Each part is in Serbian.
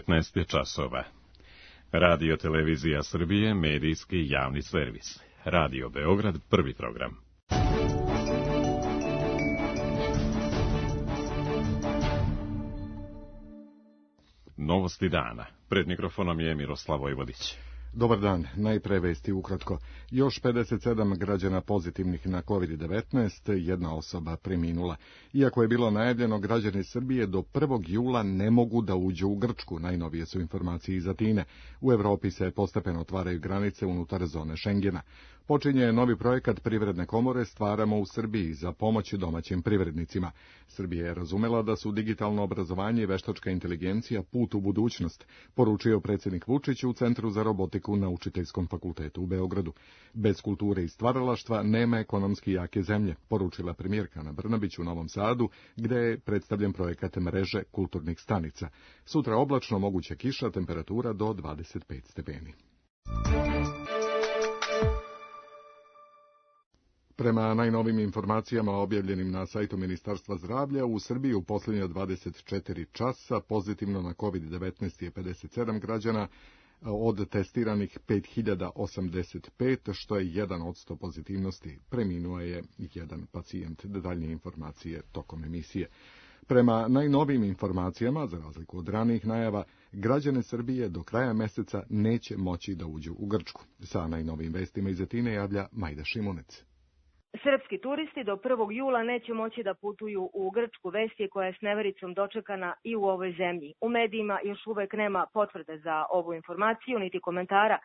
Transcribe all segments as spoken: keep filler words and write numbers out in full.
devetnaest je časova. Radio Televizija Srbije, medijski javni servis. Radio Beograd, prvi program. Novosti dana. Pred mikrofonom je Miroslav Vojvodić. Dobar dan, najpre vesti ukratko. Još pedeset sedam građana pozitivnih na kovid devetnaest, jedna osoba preminula. Iako je bilo najavljeno, građani Srbije do prvog jula ne mogu da uđu u Grčku, najnovije su informacije iz Atine. U Evropi se postepeno otvaraju granice unutar zone Šengena. Počinje novi projekat Privredne komore Stvaramo u Srbiji za pomoć domaćim privrednicima. Srbija je razumela da su digitalno obrazovanje i veštačka inteligencija put u budućnost, poručio predsjednik Vučić u Centru za robotiku na Učiteljskom fakultetu u Beogradu. Bez kulture i stvaralaštva nema ekonomski jake zemlje, poručila premijerka Ana Brnabić u Novom Sadu, gde je predstavljen projekat mreže kulturnih stanica. Sutra oblačno, moguća kiša, temperatura do dvadeset pet stepeni. Prema najnovim informacijama objavljenim na sajtu Ministarstva zdravlja, u Srbiji u posljednja dvadeset četiri časa pozitivno na kovid devetnaest je pedeset sedam građana, od testiranih pet hiljada osamdeset pet, što je jedan od sto pozitivnosti. Preminuo je jedan pacijent. Detaljnije informacije tokom emisije. Prema najnovim informacijama, za razliku od ranijih najava, građane Srbije do kraja meseca neće moći da uđu u Grčku. Sa najnovim vestima iz Atine javlja Majda Šimunec. Srpski turisti do prvog jula neće moći da putuju u Grčku, vest je koja je s nevericom dočekana i u ovoj zemlji. U medijima još uvek nema potvrde za ovu informaciju, niti komentara,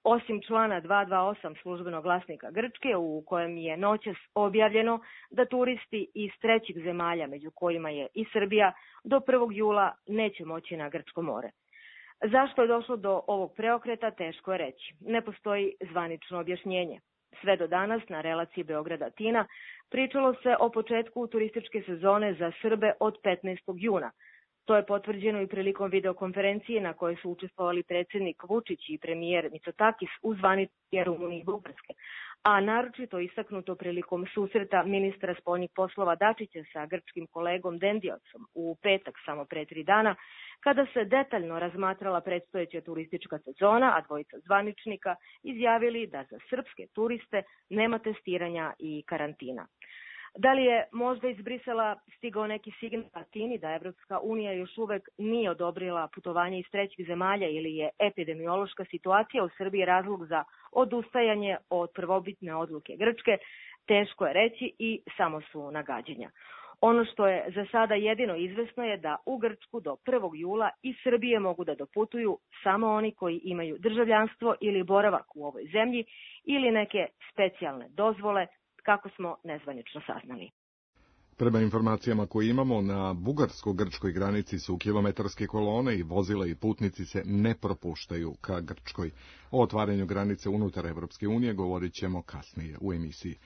osim člana dvesta dvadeset osam službenog glasnika Grčke, u kojem je noćas objavljeno da turisti iz trećih zemalja, među kojima je i Srbija, do prvog jula neće moći na Grčko more. Zašto je došlo do ovog preokreta, teško je reći. Ne postoji zvanično objašnjenje. Sve do danas na relaciji Beograd-Atina pričalo se o početku turističke sezone za Srbe od petnaestog juna. To je potvrđeno i prilikom videokonferencije na kojoj su učestvovali predsjednik Vučić i premijer Mitsotakis u zvaničnoj Rumuniji i Bugarske, a naročito istaknuto prilikom susreta ministra spoljnih poslova Dačića sa grčkim kolegom Dendiocom u petak samo pre tri dana, kada se detaljno razmatrala predstojeća turistička sezona, a dvojica zvaničnika izjavili da za srpske turiste nema testiranja i karantina. Da li je možda iz Brisela stigao neki signal Atini da Evropska unija još uvek nije odobrila putovanje iz trećih zemalja ili je epidemiološka situacija u Srbiji razlog za odustajanje od prvobitne odluke Grčke, teško je reći i samo su nagađanja. Ono što je za sada jedino izvesno je da u Grčku do prvog jula iz Srbije mogu da doputuju samo oni koji imaju državljanstvo ili boravak u ovoj zemlji ili neke specijalne dozvole, kako smo nezvanično saznali. Prema informacijama koje imamo, na bugarsko-grčkoj granici su kilometarske kolone i vozila i putnici se ne propuštaju ka Grčkoj. O otvaranju granice unutar Evropske unije govorit ćemo kasnije u emisiji.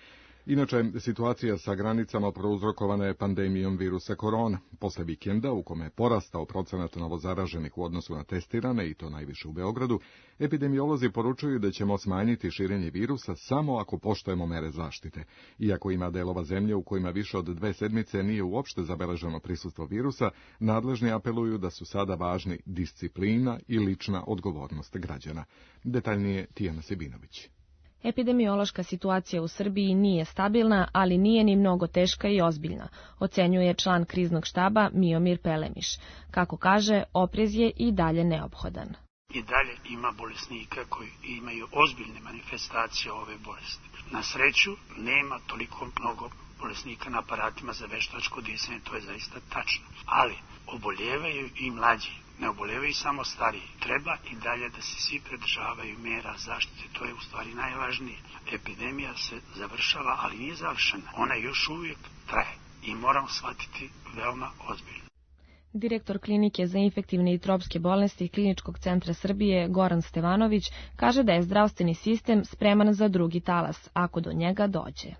Inače, situacija sa granicama prouzrokovana je pandemijom virusa korona. Posle vikenda, u kome je porastao procenat novozaraženih u odnosu na testirane, i to najviše u Beogradu, epidemiolozi poručuju da ćemo smanjiti širenje virusa samo ako poštujemo mere zaštite. Iako ima delova zemlje u kojima više od dve sedmice nije uopšte zabeleženo prisustvo virusa, nadležni apeluju da su sada važni disciplina i lična odgovornost građana. Detaljnije Tijana Sebinović. Epidemiološka situacija u Srbiji nije stabilna, ali nije ni mnogo teška i ozbiljna, ocenjuje član kriznog štaba Miomir Pelemiš. Kako kaže, oprez je i dalje neophodan. I dalje ima bolesnika koji imaju ozbiljne manifestacije ove bolesti. Na sreću, nema toliko mnogo bolesnika na aparatima za veštačko disanje, to je zaista tačno. Ali oboljevaju i mlađi, ne oboljevaju samo stariji. Treba i dalje da se svi pridržavaju mera zaštite, to je u stvari najvažnije. Epidemija se završava, ali nije završena. Ona još uvijek traje i moramo shvatiti veoma ozbiljno. Direktor klinike za infektivne i tropske bolesti Kliničkog centra Srbije Goran Stevanović kaže da je zdravstveni sistem spreman za drugi talas, ako do njega dođe.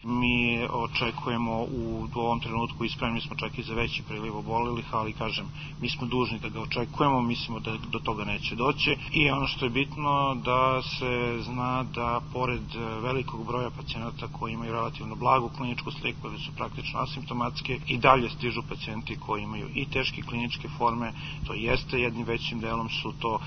Mi očekujemo u ovom trenutku i spremni smo čak i za veći priliv obolelih, ali kažem, mi smo dužni da ga očekujemo, mislimo da do toga neće doći i ono što je bitno da se zna da pored velikog broja pacijenata koji imaju relativno blagu kliničku sliku ili su praktično asimptomatski, i dalje stižu pacijenti koji imaju i teške kliničke forme, to jeste jednim većim delom su to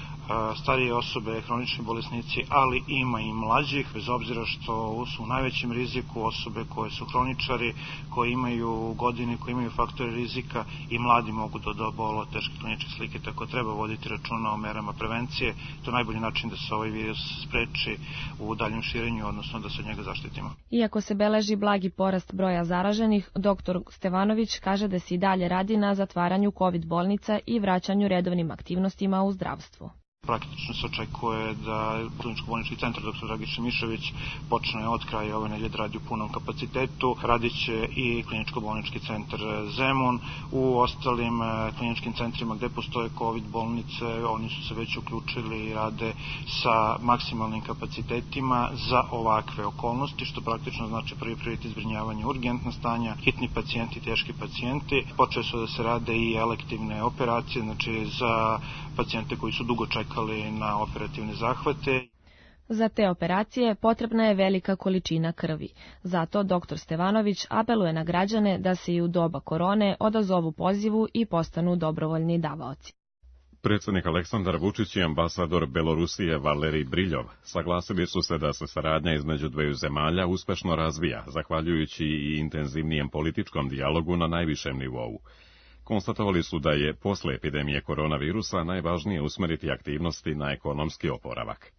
starije osobe, hronični bolesnici, ali ima i mlađih, bez obzira što su u najvećem riziku osobe koje su hroničari, koji imaju godine, koji imaju faktore rizika i mladi mogu da obole od teške kliničke slike, tako treba voditi računa o merama prevencije. To je najbolji način da se ovaj virus spreči u daljem širenju, odnosno da se od njega zaštitimo. Iako se beleži blagi porast broja zaraženih, doktor Stevanović kaže da se i dalje radi na zatvaranju kovid bolnica i vraćanju redovnim aktivnostima u zdravstvu. Praktično se očekuje da kliničko-bolnički centar doktor Dragiša Mišović počne od kraja ove nedelje da radi u punom kapacitetu. Radit će i kliničko-bolnički centar Zemun. U ostalim kliničkim centrima gde postoje kovid bolnice, oni su se već uključili i rade sa maksimalnim kapacitetima za ovakve okolnosti, što praktično znači prvi prioritet zbrinjavanje urgentna stanja, hitni pacijenti, teški pacijenti. Počeli su da se rade i elektivne operacije, znači za pacijente koji su dugo čekali na operativne zahvate. Za te operacije potrebna je velika količina krvi. Zato doktor Stevanović apeluje na građane da se i u doba korone odazovu pozivu i postanu dobrovoljni davaoci. Predsjednik Aleksandar Vučić i ambasador Belorusije Valerij Briljov saglasili su se da se saradnja između dveju zemalja uspešno razvija, zahvaljujući i intenzivnijem političkom dijalogu na najvišem nivou. Konstatovali su da je posle epidemije koronavirusa najvažnije usmeriti aktivnosti na ekonomski oporavak.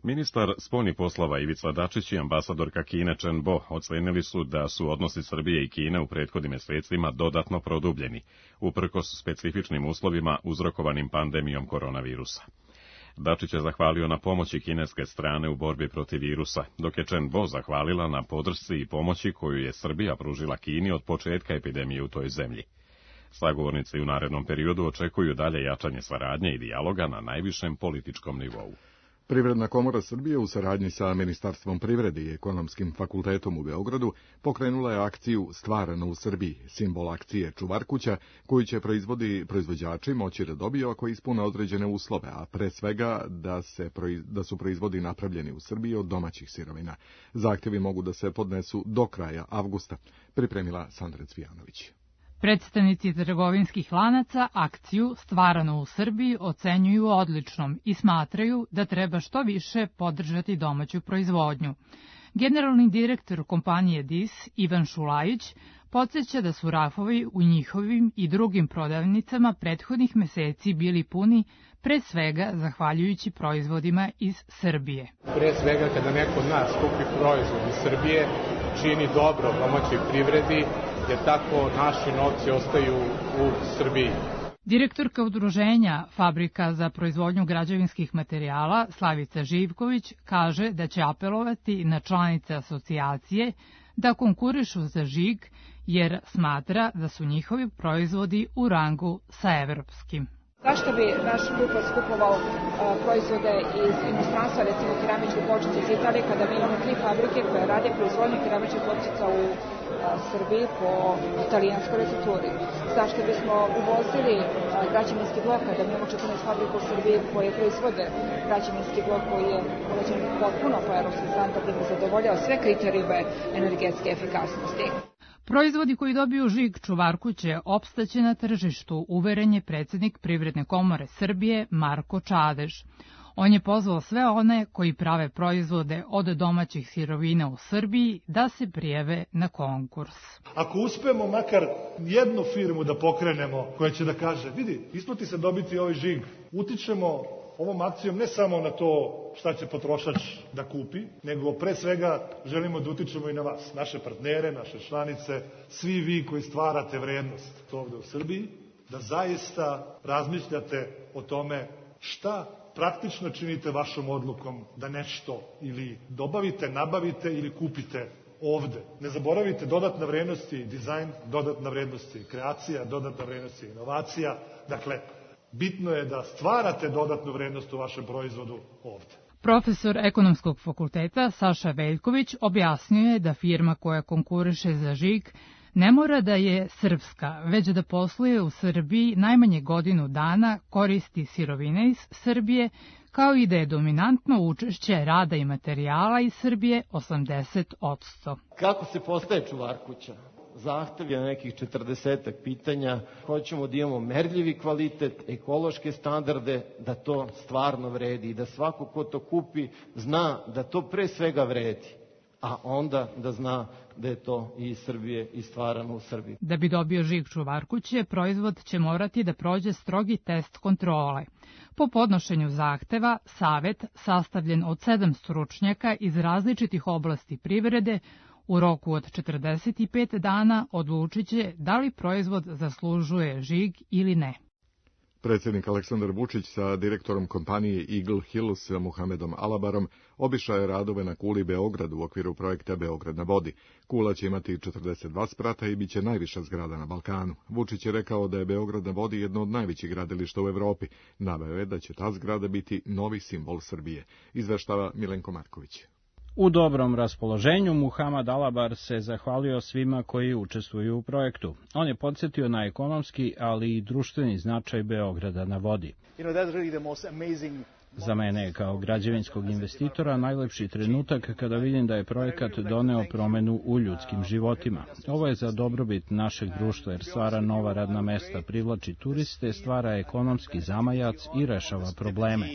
Ministar spoljnih poslova Ivica Dačić i ambasadorka Kine Chen Bo ocenili su da su odnosi Srbije i Kine u prethodnim mesecima dodatno produbljeni, uprkos specifičnim uslovima uzrokovanim pandemijom koronavirusa. Dačić je zahvalio na pomoći kineske strane u borbi protiv virusa, dok je Chen Bo zahvalila na podršci i pomoći koju je Srbija pružila Kini od početka epidemije u toj zemlji. Sagovornici u narednom periodu očekuju dalje jačanje saradnje i dijaloga na najvišem političkom nivou. Privredna komora Srbije u saradnji sa Ministarstvom privrede i Ekonomskim fakultetom u Beogradu pokrenula je akciju Stvarano u Srbiji, simbol akcije Čuvar kuća, koju će proizvodi proizvođači moći da dobiju ako ispune određene uslove, a pre svega da, se, da su proizvodi napravljeni u Srbiji od domaćih sirovina. Zahtjevi mogu da se podnesu do kraja avgusta, pripremila Sandra Cvijanović. Predstavnici trgovinskih lanaca akciju Stvarano u Srbiji ocenjuju odličnom i smatraju da treba što više podržati domaću proizvodnju. Generalni direktor kompanije D I S Ivan Šulajić podsjeća da su rafovi u njihovim i drugim prodavnicama prethodnih meseci bili puni, pre svega zahvaljujući proizvodima iz Srbije. Pre svega kada neko od nas kupi proizvod iz Srbije, čini dobro domaćoj privredi, jer tako naši novci ostaju u Srbiji. Direktorka udruženja Fabrika za proizvodnju građevinskih materijala Slavica Živković kaže da će apelovati na članice asocijacije da konkurišu za žig, jer smatra da su njihovi proizvodi u rangu sa evropskim. Zašto bi naš kupac kupovao proizvode iz inostranstva, recimo keramičke pločice iz Italije, kada mi imamo tri fabrike koje rade proizvodnju keramičkih pločica u Srbiji po italijanskoj recepturi? Zašto bismo uvozili građevinski blok kada mi imamo četrnaest fabrika u Srbiji koje proizvode građevinski blok koji je urađen potpuno po evropskim standardima, zadovoljava sve kriterijume energetske efikasnosti? Proizvodi koji dobiju žig Čuvar kuće opstaće na tržištu, uveren je predsjednik Privredne komore Srbije Marko Čadež. On je pozvao sve one koji prave proizvode od domaćih sirovina u Srbiji da se prijave na konkurs. Ako uspemo makar jednu firmu da pokrenemo koja će da kaže, vidi, isplati se dobiti ovaj žig, utičemo ovom akcijom ne samo na to šta će potrošač da kupi, nego pre svega želimo da utičemo i na vas, naše partnere, naše članice, svi vi koji stvarate vrednost ovde u Srbiji, da zaista razmišljate o tome šta praktično činite vašom odlukom da nešto ili dobavite, nabavite ili kupite ovde. Ne zaboravite, dodatna vrednost je dizajn, dodatna vrednost je kreacija, dodatna vrednost je inovacija. Dakle, bitno je da stvarate dodatnu vrednost u vašem proizvodu ovde. Profesor Ekonomskog fakulteta Saša Veljković objasnio je da firma koja konkuriše za žig ne mora da je srpska, već da posluje u Srbiji najmanje godinu dana, koristi sirovine iz Srbije, kao i da je dominantno učešće rada i materijala iz Srbije osamdeset posto. Kako se postaje čuvar kuća? Zahtev je nekih četrdesetak pitanja. Hoćemo da imamo merljivi kvalitet, ekološke standarde, da to stvarno vredi i da svako ko to kupi zna da to pre svega vredi, a onda da zna da je to i iz Srbije i stvarano u Srbiji. Da bi dobio žig čuvar kuće, proizvod će morati da prođe strogi test kontrole. Po podnošenju zahteva, savet, sastavljen od sedam stručnjaka iz različitih oblasti privrede, u roku od četrdeset pet dana odlučit će da li proizvod zaslužuje žig ili ne. Predsjednik Aleksandar Vučić sa direktorom kompanije Eagle Hills Muhamedom Alabarom obišao je radove na kuli Beograd u okviru projekta Beograd na vodi. Kula će imati četrdeset dva sprata i bit će najviša zgrada na Balkanu. Vučić je rekao da je Beograd na vodi jedno od najvećih gradilišta u Evropi. Naveo je da će ta zgrada biti novi simbol Srbije. Izveštava Milenko Marković. U dobrom raspoloženju Muhamad Alabar se zahvalio svima koji učestvuju u projektu. On je podsjetio na ekonomski, ali i društveni značaj Beograda na vodi. Za mene je kao građevinskog investitora najlepši trenutak kada vidim da je projekat doneo promenu u ljudskim životima. Ovo je za dobrobit našeg društva jer stvara nova radna mesta, privlači turiste, stvara ekonomski zamajac i rešava probleme.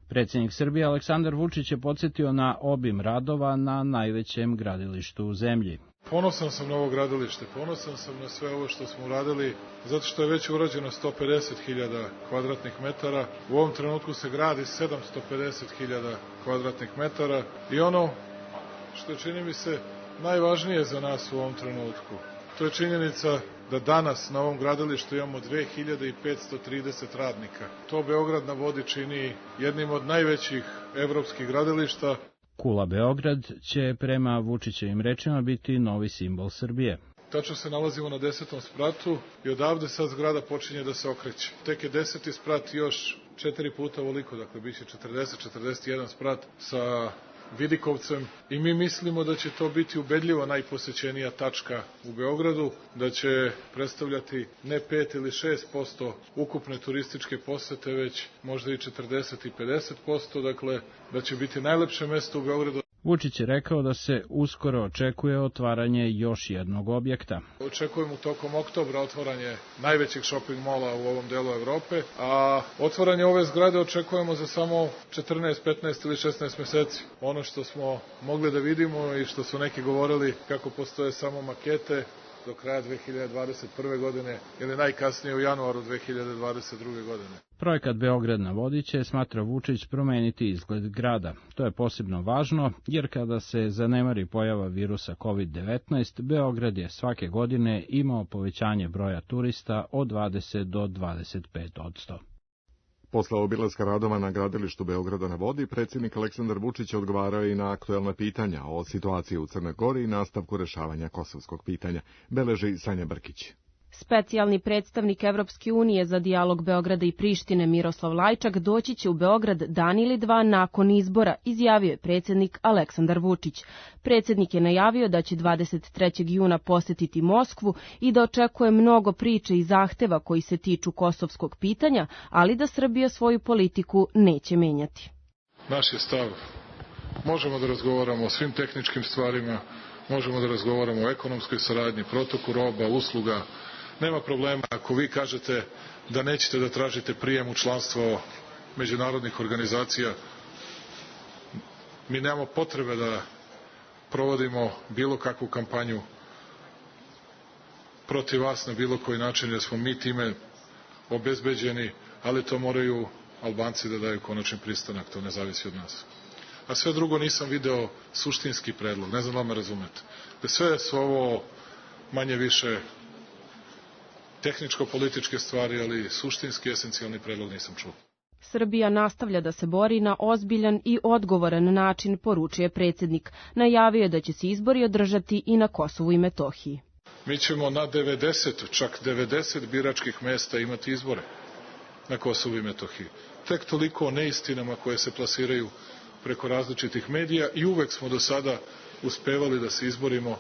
Predsjednik Srbije Aleksandar Vučić je podsjetio na obim radova na najvećem gradilištu u zemlji. Ponosan sam na ovo gradilište, ponosan sam na sve ovo što smo uradili, zato što je već urađeno sto pedeset hiljada kvadratnih metara. U ovom trenutku se gradi sedamsto pedeset hiljada kvadratnih metara i ono što čini mi se najvažnije za nas u ovom trenutku, to je činjenica da danas na ovom gradilištu imamo dve hiljade petsto trideset radnika. To Beograd na vodi čini jednim od najvećih evropskih gradilišta. Kula Beograd će prema Vučićevim rečima biti novi simbol Srbije. Tačno se nalazimo na desetom spratu i odavde sad zgrada počinje da se okreće. Tek je deseti sprat još četiri puta ovoliko, dakle bit će četrdeset četrdeset jedan sprat sa vidikovcem i mi mislimo da će to biti ubedljivo najposećenija tačka u Beogradu, da će predstavljati ne pet ili šest posto ukupne turističke posete, već možda i četrdeset i pedeset posto, dakle da će biti najlepše mesto u Beogradu. Vučić je rekao da se uskoro očekuje otvaranje još jednog objekta. Očekujemo tokom oktobra otvaranje najvećeg shopping mola u ovom delu Evrope, a otvaranje ove zgrade očekujemo za samo četrnaest, petnaest ili šesnaest meseci. Ono što smo mogli da vidimo i što su neki govorili kako postoje samo makete do kraja dve hiljade dvadeset prve. godine ili najkasnije u januaru dve hiljade dvadeset druge. godine. Projekat Beograd na vodi će, smatra Vučić, promeniti izgled grada. To je posebno važno, jer kada se zanemari pojava virusa kovid devetnaest, Beograd je svake godine imao povećanje broja turista od dvadeset do dvadeset pet posto. Posle obilaska radova na gradilištu Beograda na vodi, predsjednik Aleksandar Vučić odgovarao i na aktuelna pitanja o situaciji u Crnoj Gori i nastavku rešavanja kosovskog pitanja, beleži Sanja Brkić. Specijalni predstavnik Evropske unije za dijalog Beograda i Prištine Miroslav Lajčak doći će u Beograd dan ili dva nakon izbora, izjavio je predsjednik Aleksandar Vučić. Predsjednik je najavio da će dvadeset trećeg juna posetiti Moskvu i da očekuje mnogo priče i zahteva koji se tiču kosovskog pitanja, ali da Srbija svoju politiku neće menjati. Naš je stav. Možemo da razgovaramo o svim tehničkim stvarima, možemo da razgovaramo o ekonomskoj saradnji, protoku roba, usluga. Nema problema ako vi kažete da nećete da tražite prijem u članstvo međunarodnih organizacija. Mi nemamo potrebe da provodimo bilo kakvu kampanju protiv vas na bilo koji način, jer smo mi time obezbeđeni, ali to moraju Albanci da daju konačni pristanak, to ne zavisi od nas. A sve drugo nisam video suštinski predlog, ne znam da me razumete. Da sve su ovo manje više tehničko-političke stvari, ali suštinski, esencijalni predlog nisam čuo. Srbija nastavlja da se bori na ozbiljan i odgovoran način, poručuje predsjednik. Najavio je da će se izbori održati i na Kosovu i Metohiji. Mi ćemo na devedeset, čak devedeset biračkih mesta imati izbore. na Kosovu i Metohiji. Tek toliko o neistinama koje se plasiraju preko različitih medija i uvek smo do sada uspevali da se izborimo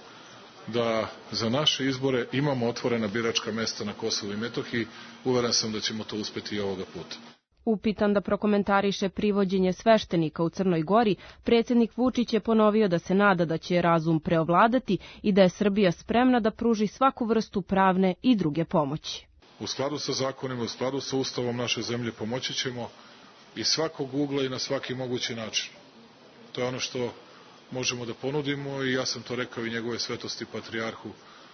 da za naše izbore imamo otvorena biračka mesta na Kosovu i Metohiji. Uveren sam da ćemo to uspeti i ovoga puta. Upitan da prokomentariše privođenje sveštenika u Crnoj Gori, predsjednik Vučić je ponovio da se nada da će razum preovladati i da je Srbija spremna da pruži svaku vrstu pravne i druge pomoći. U skladu sa zakonima, u skladu sa ustavom naše zemlje pomoći ćemo i svakog ugla i na svaki mogući način. To je ono što možemo da ponudimo i ja sam to rekao i njegove svetosti patrijarhu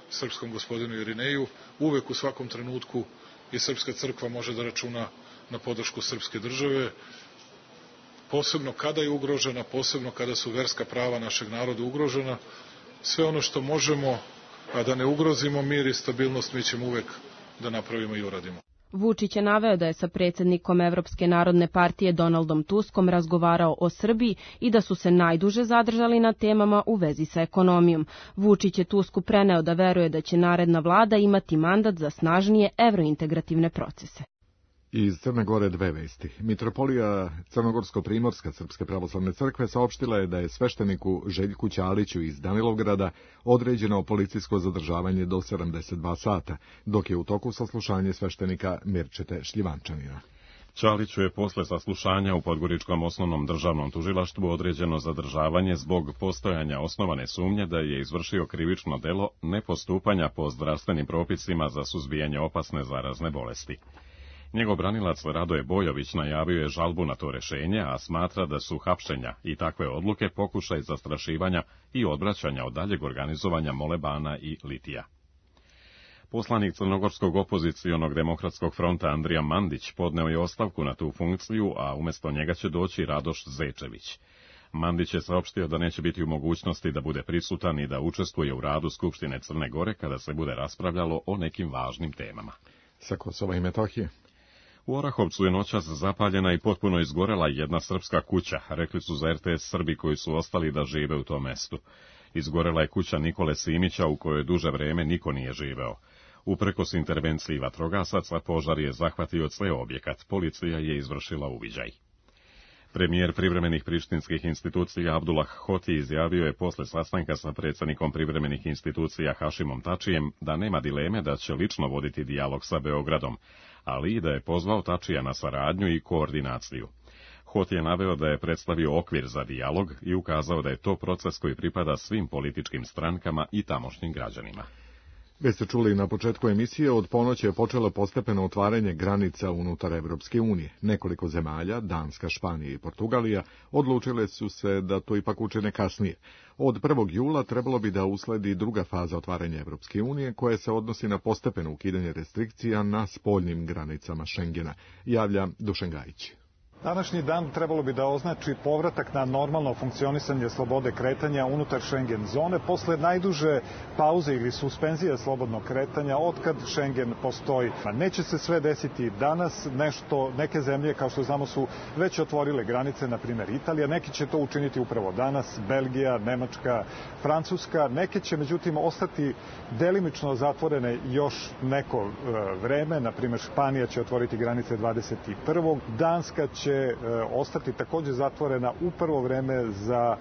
srpskom gospodinu Irineju. Uvek u svakom trenutku i Srpska crkva može da računa na podršku srpske države, posebno kada je ugrožena, posebno kada su verska prava našeg naroda ugrožena. Sve ono što možemo, a da ne ugrozimo mir i stabilnost, mi ćemo uvek da napravimo i uradimo. Vučić je naveo da je sa predsjednikom Evropske narodne partije Donaldom Tuskom razgovarao o Srbiji i da su se najduže zadržali na temama u vezi sa ekonomijom. Vučić je Tusku preneo da veruje da će naredna vlada imati mandat za snažnije evrointegrativne procese. Iz Crne Gore dve vesti. Mitropolija Crnogorsko-Primorska Srpske pravoslavne crkve saopštila je da je svešteniku Željku Ćaliću iz Danilovgrada određeno policijsko zadržavanje do sedamdeset dva sata, dok je u toku saslušanje sveštenika Mirčete Šljivančanina. Ćaliću je posle saslušanja u Podgoričkom osnovnom državnom tužilaštvu određeno zadržavanje zbog postojanja osnovane sumnje da je izvršio krivično delo nepostupanja po zdravstvenim propisima za suzbijanje opasne zarazne bolesti. Njegov branilac Radoje Bojović najavio je žalbu na to rešenje, a smatra da su hapšenja i takve odluke pokušaj zastrašivanja i odvraćanja od daljeg organizovanja molebana i litija. Poslanik Crnogorskog opozicionog demokratskog fronta Andrija Mandić podneo je ostavku na tu funkciju, a umjesto njega će doći Radoš Zečević. Mandić je saopštio da neće biti u mogućnosti da bude prisutan i da učestvuje u radu Skupštine Crne Gore kada se bude raspravljalo o nekim važnim temama. Sa Kosova i Metohije. U Orahovcu je noćas zapaljena i potpuno izgorela jedna srpska kuća, rekli su za R T S Srbi koji su ostali da žive u tom mestu. Izgorela je kuća Nikole Simića u kojoj duže vreme niko nije živeo. Uprkos intervenciji vatrogasaca, požar je zahvatio ceo objekat, policija je izvršila uviđaj. Premijer privremenih prištinskih institucija Abdullah Hoti izjavio je posle sastanka sa predsjednikom privremenih institucija Hašimom Tačijem da nema dileme da će lično voditi dijalog sa Beogradom, ali i da je pozvao Tačija na saradnju i koordinaciju. Hoti je naveo da je predstavio okvir za dijalog i ukazao da je to proces koji pripada svim političkim strankama i tamošnjim građanima. Već ste čuli na početku emisije, od ponoći je počelo postepeno otvaranje granica unutar Evropske unije. Nekoliko zemalja, Danska, Španija i Portugalija, odlučile su se da to ipak učine kasnije. Od prvog jula trebalo bi da usledi druga faza otvaranja Evropske unije, koja se odnosi na postepeno ukidanje restrikcija na spoljnim granicama Šengena, javlja Dušan Gajić. Današnji dan trebalo bi da označi povratak na normalno funkcionisanje slobode kretanja unutar Schengen zone posle najduže pauze ili suspenzije slobodnog kretanja otkad Schengen postoji. Neće se sve desiti danas, nešto, neke zemlje kao što znamo su već otvorile granice, na primjer Italija, neki će to učiniti upravo danas, Belgija, Nemačka, Francuska, neke će međutim ostati delimično zatvorene još neko vreme, na primjer Španija će otvoriti granice dvadeset prvog Danska će ostati također zatvorena u prvo vreme za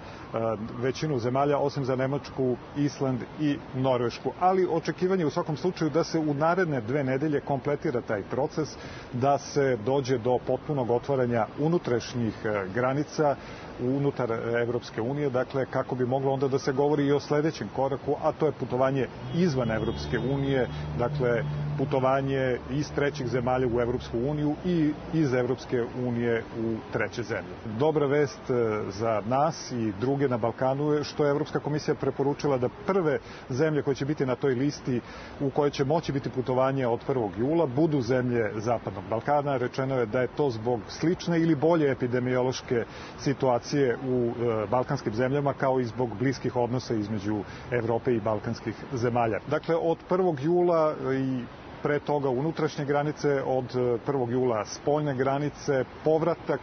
većinu zemalja, osim za Nemačku, Island i Norvešku. Ali očekivanje u svakom slučaju da se u naredne dve nedelje kompletira taj proces, da se dođe do potpunog otvaranja unutrašnjih granica unutar Evropske unije, dakle kako bi moglo onda da se govori i o sledećem koraku, a to je putovanje izvan Evropske unije, dakle putovanje iz trećih zemalja u Evropsku uniju i iz Evropske unije u treće zemlje. Dobra vest za nas i druge na Balkanu je što je Evropska komisija preporučila da prve zemlje koje će biti na toj listi u kojoj će moći biti putovanje od prvog jula budu zemlje Zapadnog Balkana. Rečeno je da je to zbog slične ili bolje epidemiološke situacije u balkanskim zemljama, kao i zbog bliskih odnosa između Evrope i balkanskih zemalja. Dakle, od prvog jula i pre toga unutrašnje granice, od prvog jula spoljne granice, povratak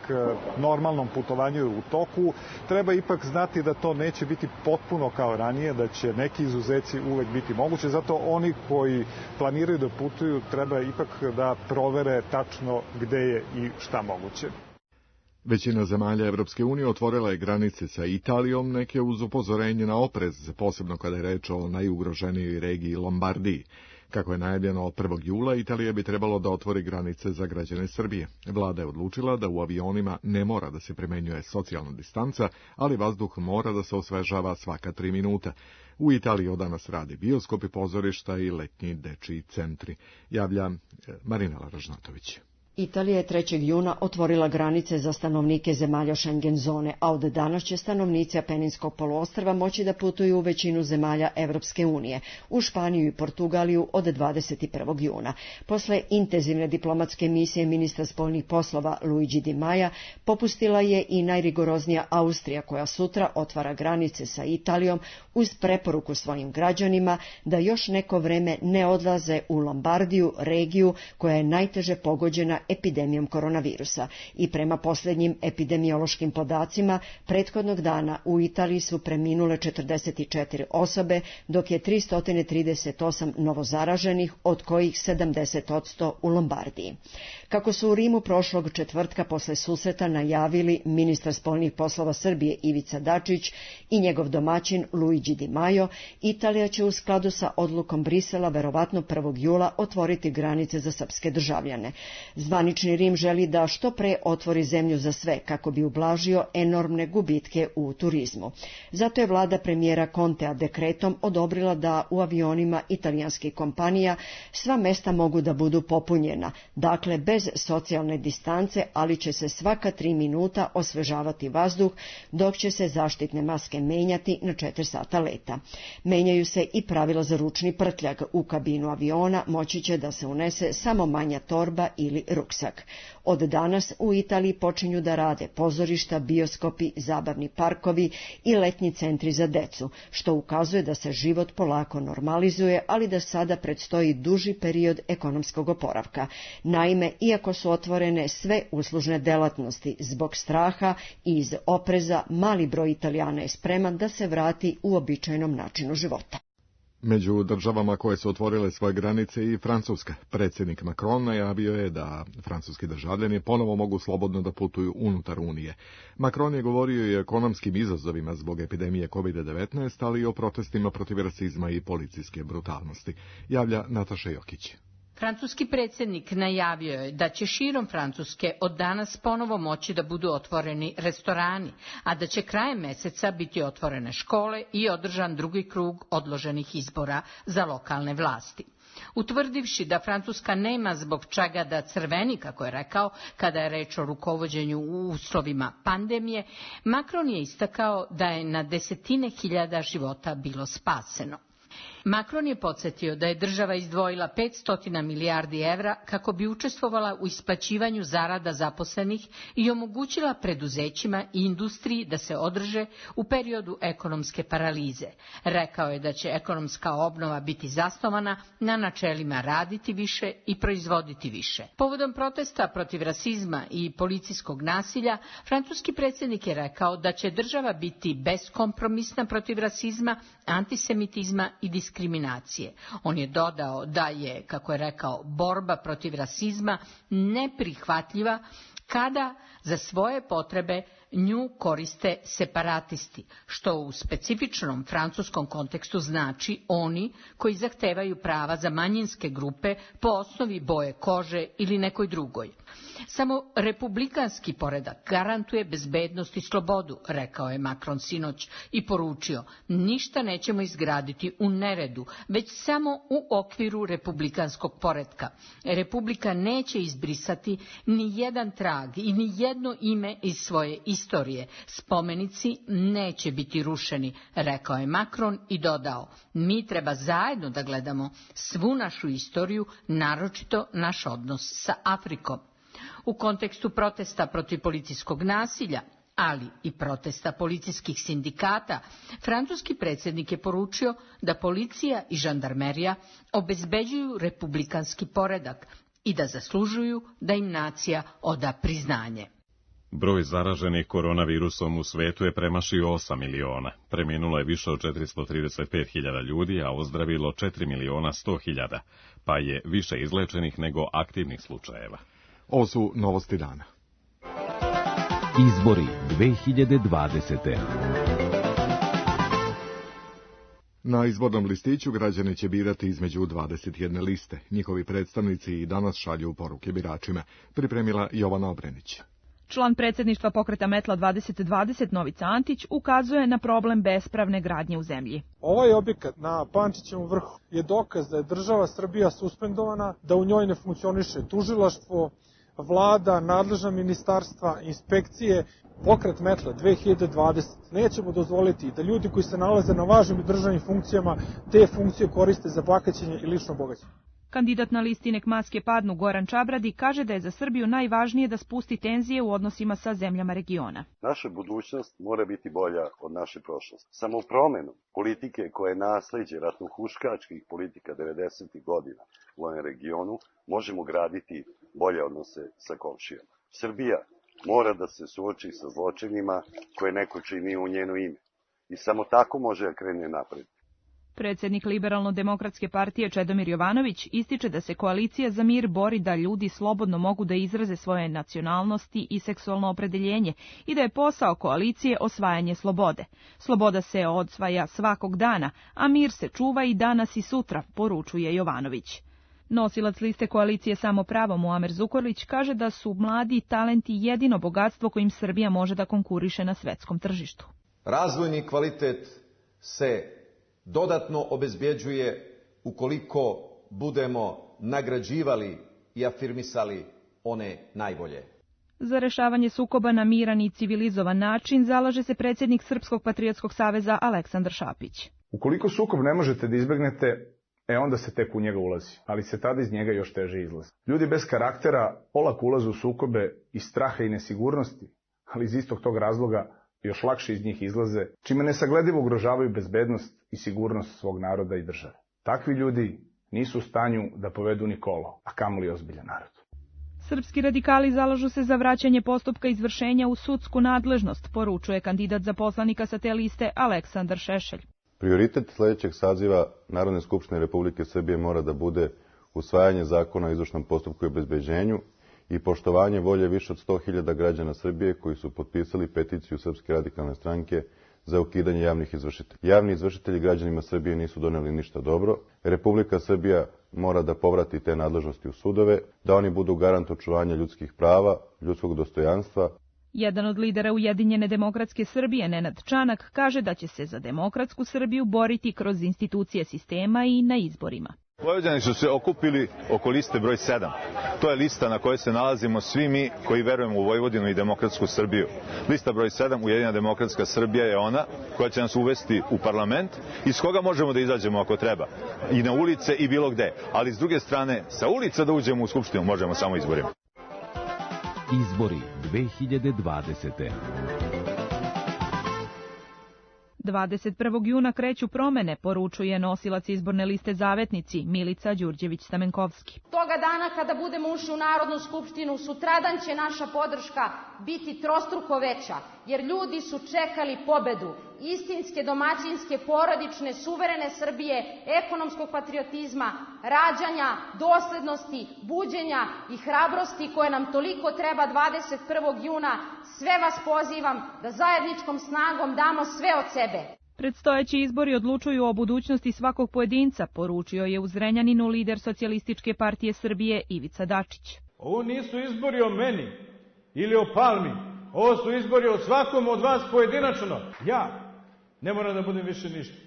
normalnom putovanju u toku. Treba ipak znati da to neće biti potpuno kao ranije, da će neki izuzeci uvek biti moguće, zato oni koji planiraju da putuju treba ipak da provere tačno gde je i šta moguće. Većina zemalja Evropske unije otvorila je granice sa Italijom, neke uz upozorenje na oprez, posebno kada je reč o najugroženijoj regiji Lombardiji. Kako je najavljeno od prvog jula, Italija bi trebalo da otvori granice za građane Srbije. Vlada je odlučila da u avionima ne mora da se primenjuje socijalna distanca, ali vazduh mora da se osvežava svaka tri minuta. U Italiji od danas radi bioskopi, pozorišta i letnji dečiji centri. Javlja Marinela Ražnatović. Italija je trećeg juna otvorila granice za stanovnike zemalja Schengen zone, a od danas će stanovnici Apeninskog poluostrva moći da putuju u većinu zemalja Evropske unije, u Španiju i Portugaliju od dvadeset prvog juna. Posle intenzivne diplomatske misije ministra spoljnih poslova Luigi Di Maja, popustila je i najrigoroznija Austrija, koja sutra otvara granice sa Italijom uz preporuku svojim građanima da još neko vreme ne odlaze u Lombardiju, regiju koja je najteže pogođena epidemijom koronavirusa. I prema posljednjim epidemiološkim podacima, prethodnog dana u Italiji su preminule četrdeset četiri osobe, dok je tristo trideset osam novozaraženih, od kojih sedamdeset posto u Lombardiji. Kako su u Rimu prošlog četvrtka posle susreta najavili ministar spoljnih poslova Srbije Ivica Dačić i njegov domaćin Luigi Di Maio, Italija će u skladu sa odlukom Brisela verovatno prvog jula otvoriti granice za srpske državljane. Zvanični Rim želi da što pre otvori zemlju za sve kako bi ublažio enormne gubitke u turizmu. Zato je vlada premijera Contea dekretom odobrila da u avionima italijanskih kompanija sva mesta mogu da budu popunjena, dakle bez socijalne distance, ali će se svaka tri minuta osvežavati vazduh, dok će se zaštitne maske menjati na četiri sata leta. Menjaju se i pravila za ručni prtljag. U kabinu aviona moći će da se unese samo manja torba ili ruksak. Od danas u Italiji počinju da rade pozorišta, bioskopi, zabavni parkovi i letnji centri za decu, što ukazuje da se život polako normalizuje, ali da sada predstoji duži period ekonomskog oporavka. Naime, iako su otvorene sve uslužne delatnosti, zbog straha i iz opreza, mali broj Italijana je spreman da se vrati u običajnom načinu života. Među državama koje su otvorile svoje granice i Francuska. Predsjednik Macron najavio je da francuski državljani ponovo mogu slobodno da putuju unutar Unije. Macron je govorio i o ekonomskim izazovima zbog epidemije kovid devetnaest, ali i o protestima protiv rasizma i policijske brutalnosti. Javlja Nataša Jokić. Francuski predsjednik najavio je da će širom Francuske od danas ponovo moći da budu otvoreni restorani, a da će krajem meseca biti otvorene škole i održan drugi krug odloženih izbora za lokalne vlasti. Utvrdivši da Francuska nema zbog čega da crveni, kako je rekao, kada je reč o rukovođenju u uslovima pandemije, Macron je istakao da je na desetine hiljada života bilo spaseno. Macron je podsjetio da je država izdvojila petsto milijardi evra kako bi učestvovala u isplaćivanju zarada zaposlenih i omogućila preduzećima i industriji da se održe u periodu ekonomske paralize. Rekao je da će ekonomska obnova biti zasnovana na načelima raditi više i proizvoditi više. Povodom protesta protiv rasizma i policijskog nasilja, francuski predsjednik je rekao da će država biti beskompromisna protiv rasizma, antisemitizma i diskriminacije. On je dodao da je, kako je rekao, borba protiv rasizma neprihvatljiva kada za svoje potrebe nju koriste separatisti, što u specifičnom francuskom kontekstu znači oni koji zahtevaju prava za manjinske grupe po osnovi boje kože ili nekoj drugoj. Samo republikanski poredak garantuje bezbednost i slobodu, rekao je Macron sinoć i poručio, ništa nećemo izgraditi u neredu, već samo u okviru republikanskog poretka. Republika neće izbrisati ni jedan trag i ni jedno ime iz svoje istorije. Spomenici neće biti rušeni, rekao je Macron i dodao, mi treba zajedno da gledamo svu našu istoriju, naročito naš odnos sa Afrikom. U kontekstu protesta protiv policijskog nasilja, ali i protesta policijskih sindikata, francuski predsjednik je poručio da policija i žandarmerija obezbeđuju republikanski poredak i da zaslužuju da im nacija oda priznanje. Broj zaraženih koronavirusom u svetu je premašio osam miliona. Preminulo je više od četiristo trideset pet hiljada ljudi, a ozdravilo četiri miliona sto hiljada, pa je više izlečenih nego aktivnih slučajeva. Ovo su novosti dana. Izbori dve hiljade dvadesete. Na izbornom listiću građani će birati između dvadeset jedne liste. Njihovi predstavnici i danas šalju poruke biračima. Pripremila Jovana Obrenić. Član predsjedništva pokreta Metla dvadeset dvadeset Novica Antić ukazuje na problem bespravne gradnje u zemlji. Ovaj objekat na Pančićevom vrhu je dokaz da je država Srbija suspendovana, da u njoj ne funkcioniše tužilaštvo, vlada, nadležna ministarstva, inspekcije. Pokret Metla dve hiljade dvadesete. Nećemo dozvoliti da ljudi koji se nalaze na važnim državnim funkcijama te funkcije koriste za bahaćenje i lično bogaćenje. Kandidat na listi Nek maske padnu Goran Čabradi kaže da je za Srbiju najvažnije da spusti tenzije u odnosima sa zemljama regiona. Naša budućnost mora biti bolja od naše prošlosti. Samo promenom politike koje je nasleđe ratnohuškačkih politika devedesetih godina u ovom regionu možemo graditi bolje odnose sa komšijama. Srbija mora da se suoči sa zločinima koje neko čini u njeno ime. I samo tako može da krene napred. Predsjednik Liberalno-demokratske partije Čedomir Jovanović ističe da se koalicija za mir bori da ljudi slobodno mogu da izraze svoje nacionalnosti i seksualno opredeljenje i da je posao koalicije osvajanje slobode. Sloboda se odsvaja svakog dana, a mir se čuva i danas i sutra, poručuje Jovanović. Nosilac liste koalicije Samo pravo Muamer Zukorlić kaže da su mladi talenti jedino bogatstvo kojim Srbija može da konkuriše na svetskom tržištu. Razvojni kvalitet se dodatno obezbjeđuje ukoliko budemo nagrađivali i afirmisali one najbolje. Za rešavanje sukoba na miran i civilizovan način zalaže se predsjednik Srpskog patriotskog saveza Aleksandar Šapić. Ukoliko sukob ne možete da izbegnete, e onda se tek u njega ulazi, ali se tada iz njega još teže izlazi. Ljudi bez karaktera olako ulaze u sukobe iz straha i nesigurnosti, ali iz istog tog razloga još lakše iz njih izlaze, čime nesagledivo ugrožavaju bezbednost i sigurnost svog naroda i države. Takvi ljudi nisu u stanju da povedu ni kolo, a kamoli ozbiljan narod. Srpski radikali zalažu se za vraćanje postupka izvršenja u sudsku nadležnost, poručuje kandidat za poslanika sa te liste Aleksandar Šešelj. Prioritet sledećeg saziva Narodne skupštine Republike Srbije mora da bude usvajanje zakona o izvršnom postupku i obezbeđenju i poštovanje volje više od sto hiljada građana Srbije koji su potpisali peticiju Srpske radikalne stranke za ukidanje javnih izvršitelja. Javni izvršitelji građanima Srbije nisu doneli ništa dobro. Republika Srbija mora da povrati te nadležnosti u sudove, da oni budu garant očuvanja ljudskih prava, ljudskog dostojanstva. Jedan od lidera Ujedinjene demokratske Srbije, Nenad Čanak, kaže da će se za demokratsku Srbiju boriti kroz institucije sistema i na izborima. Vojvođani su se okupili oko liste broj sedam. To je lista na kojoj se nalazimo svi mi koji verujemo u Vojvodinu i demokratsku Srbiju. Lista broj sedam, Ujedinjena demokratska Srbija, je ona koja će nas uvesti u parlament, iz koga možemo da izađemo ako treba. I na ulice i bilo gde. Ali s druge strane, sa ulica da uđemo u Skupštinu možemo samo izborima. Izbori dve hiljade dvadesete. dvadeset prvog juna kreću promene, poručuje nosilac izborne liste Zavetnici Milica Đurđević-Stamenkovski. Toga dana kada budemo ušli u Narodnu skupštinu, sutradan će naša podrška biti trostruko veća, jer ljudi su čekali pobedu istinske, domaćinske, porodične, suverene Srbije, ekonomskog patriotizma, rađanja, doslednosti, buđenja i hrabrosti koje nam toliko treba dvadeset prvog juna. Sve vas pozivam da zajedničkom snagom damo sve od sebe. Predstojeći izbori odlučuju o budućnosti svakog pojedinca, poručio je u Zrenjaninu lider Socijalističke partije Srbije Ivica Dačić. Ovo nisu izbori o meni ili o Palmi, ovo su izbori o svakom od vas pojedinačno. Ja ne moram da budem više ništa,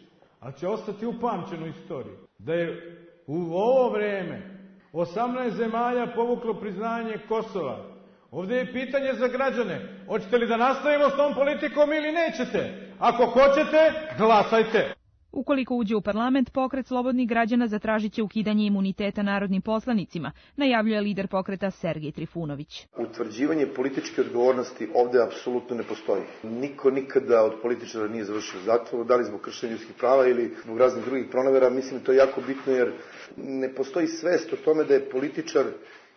ali će ostati upamćeno u istoriji da je u ovo vreme osamnaest zemalja povuklo priznanje Kosova. Ovdje je pitanje za građane. Hoćete li da nastavimo s tom politikom ili nećete? Ako hoćete, glasajte. Ukoliko uđe u parlament, pokret slobodnih građana zatražit će ukidanje imuniteta narodnim poslanicima, najavljuje lider pokreta Sergej Trifunović. Utvrđivanje političke odgovornosti ovde apsolutno ne postoji. Niko nikada od političara nije završio u zatvoru, da li zbog kršenja ljudskih prava ili zbog raznih drugih pronevera. Mislim da to je jako bitno jer ne postoji svest o tome da je političar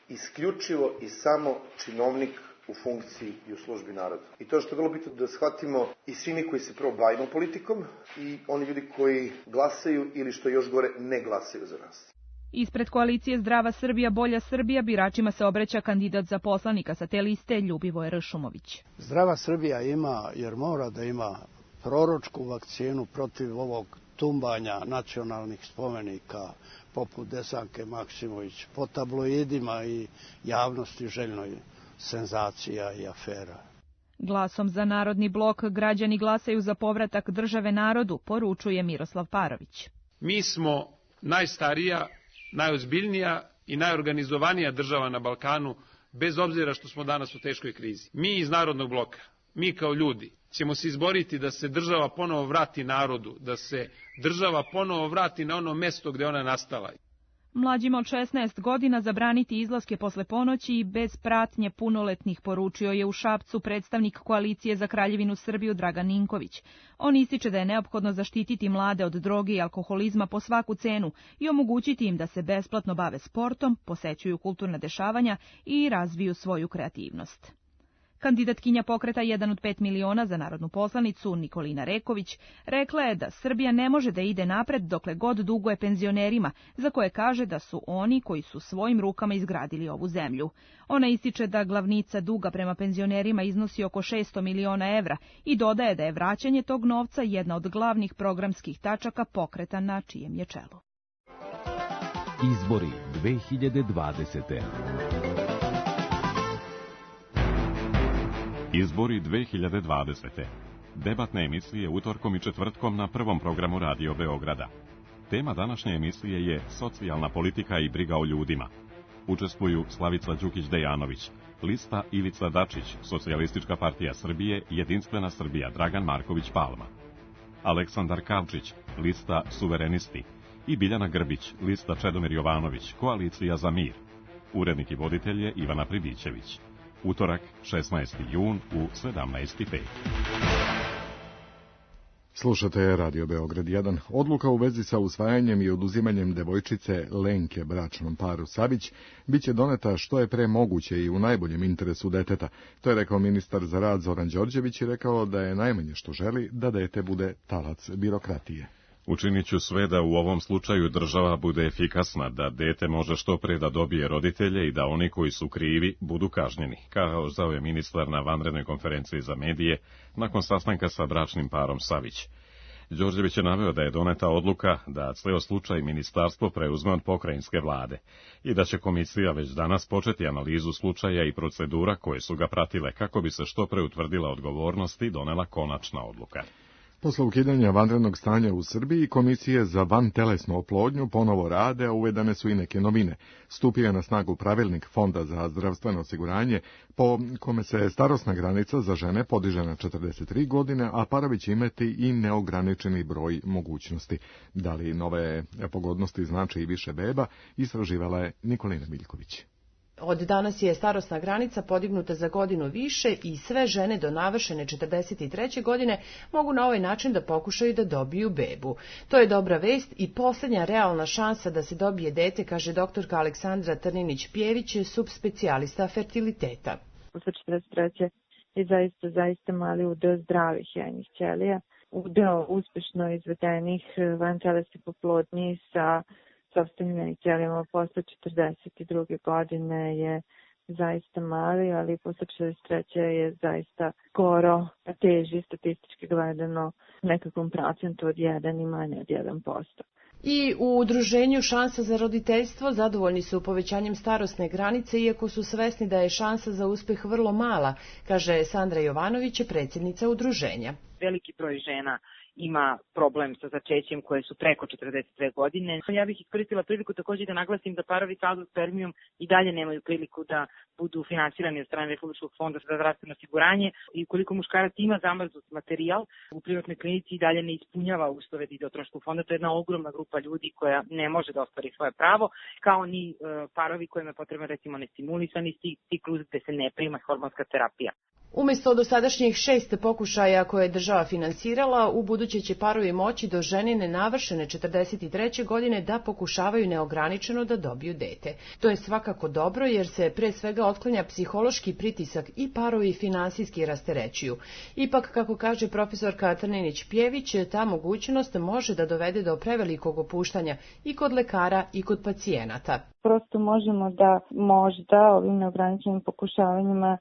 isključivo i samo činovnik u funkciji i u službi naroda. I to što je vrlo bitno da shvatimo i svi mi koji se prvo bavimo politikom i oni ljudi koji glasaju ili što još gore ne glasaju za nas. Ispred koalicije Zdrava Srbija, Bolja Srbija biračima se obraća kandidat za poslanika sa te liste Ljubivoje Ršumović. Zdrava Srbija ima, jer mora da ima proročku vakcinu protiv ovog tumbanja nacionalnih spomenika poput Desanke Maksimović po tabloidima i javnosti željnoj senzacija i afera. Glasom za Narodni blok građani glasaju za povratak države narodu, poručuje Miroslav Parović. Mi smo najstarija, najozbiljnija i najorganizovanija država na Balkanu, bez obzira što smo danas u teškoj krizi. Mi iz Narodnog bloka, mi kao ljudi, ćemo se izboriti da se država ponovo vrati narodu, da se država ponovo vrati na ono mesto gde ona nastala. Mlađima od šesnaest godina zabraniti izlaske posle ponoći i bez pratnje punoletnih, poručio je u Šapcu predstavnik koalicije za Kraljevinu Srbiju Dragan Ninković. On ističe da je neophodno zaštititi mlade od droge i alkoholizma po svaku cenu i omogućiti im da se besplatno bave sportom, posećuju kulturna dešavanja i razviju svoju kreativnost. Kandidatkinja pokreta jedan od pet miliona za narodnu poslanicu, Nikolina Reković, rekla je da Srbija ne može da ide napred dokle god duguje penzionerima, za koje kaže da su oni koji su svojim rukama izgradili ovu zemlju. Ona ističe da glavnica duga prema penzionerima iznosi oko šesto miliona evra i dodaje da je vraćanje tog novca jedna od glavnih programskih tačaka pokreta na čijem je čelu. Izbori dve hiljade dvadesete. Izbori dve hiljade dvadesete. Debatne emisije utorkom i četvrtkom na prvom programu Radio Beograda. Tema današnje emisije je socijalna politika i briga o ljudima. Učestvuju Slavica Đukić-Dejanović, lista Ivica Dačić, Socijalistička partija Srbije, Jedinstvena Srbija, Dragan Marković Palma. Aleksandar Kavčić, lista Suverenisti, i Biljana Grbić, lista Čedomir Jovanović, Koalicija za mir. Urednik i voditelj je Ivana Pribićević. Utorak, šesnaesti jun u sedamnaest i pet. Slušate Radio Beograd jedan. Odluka u vezi sa usvajanjem i oduzimanjem devojčice Lenke bračnom paru Savić biće doneta što je pre moguće i u najboljem interesu deteta. To je rekao ministar za rad Zoran Đorđević i rekao da je najmanje što želi da dete bude talac birokratije. Učinit ću sve da u ovom slučaju država bude efikasna, da dete može što pre da dobije roditelje i da oni koji su krivi budu kažnjeni, kazao je ministar na vanrednoj konferenciji za medije nakon sastanka sa bračnim parom Savić. Đorđević je naveo da je doneta odluka da ceo slučaj ministarstvo preuzme od pokrajinske vlade i da će komisija već danas početi analizu slučaja i procedura koje su ga pratile kako bi se što pre utvrdila odgovornost i donela konačna odluka. Posle ukidanja vanrednog stanja u Srbiji, komisije za vantelesnu oplodnju ponovo rade, a uvedene su i neke novine. Stupio je na snagu pravilnik Fonda za zdravstveno osiguranje, po kome se starosna granica za žene podiže na četrdeset tri godine, a parovi će imati i neograničeni broj mogućnosti. Da li nove pogodnosti znači i više beba, istraživala je Nikolina Miljković. Od danas je starosna granica podignuta za godinu više i sve žene do navršene četrdeset treće godine mogu na ovaj način da pokušaju da dobiju bebu. To je dobra vest i posljednja realna šansa da se dobije dete, kaže doktorka Aleksandra Trninić-Pjević, subspecijalista fertiliteta. Posle četrdeset treće je zaista, zaista mali udeo zdravih jajnih ćelija, udeo uspešno izvedenih vantelesnih oplodnji sa sopstvenim jajnim ćelijama posle četrdeset druge godine je zaista mali, ali posle četrdeset treće je zaista skoro teži statistički gledano nekakvom procentu od jedan i manje od jedan posto. I u udruženju Šansa za roditeljstvo zadovoljni su povećanjem starosne granice, iako su svesni da je šansa za uspeh vrlo mala, kaže Sandra Jovanović, predsjednica udruženja. veliki broj žena ima problem sa začećem koje su preko četrdeset dve godine. Ja bih iskoristila priliku takođe da naglasim da parovi sa azospermijom i dalje nemaju priliku da budu finansirani od strane Republičkog fonda za zdravstveno osiguranje i ukoliko muškarac ima zamrznut materijal u privatnoj klinici i dalje ne ispunjava uslove da ide od troškog fonda, to je jedna ogromna grupa ljudi koja ne može da ostvari svoje pravo, kao ni e, parovi kojima je potrebno recimo nestimulisani ciklus gde se ne prima hormonska terapija. Umesto dosadašnjih šest pokušaja koje je država finansirala, u buduće će parovi moći do ženine navršene četrdeset treće godine da pokušavaju neograničeno da dobiju dete. To je svakako dobro jer se pre svega otklanja psihološki pritisak i parovi finansijski rasterećuju. Ipak, kako kaže profesorka Trninić-Pjević, ta mogućnost može da dovede do prevelikog opuštanja i kod lekara i kod pacijenata. Prosto možemo da možda ovim neograničenim pokušavanjima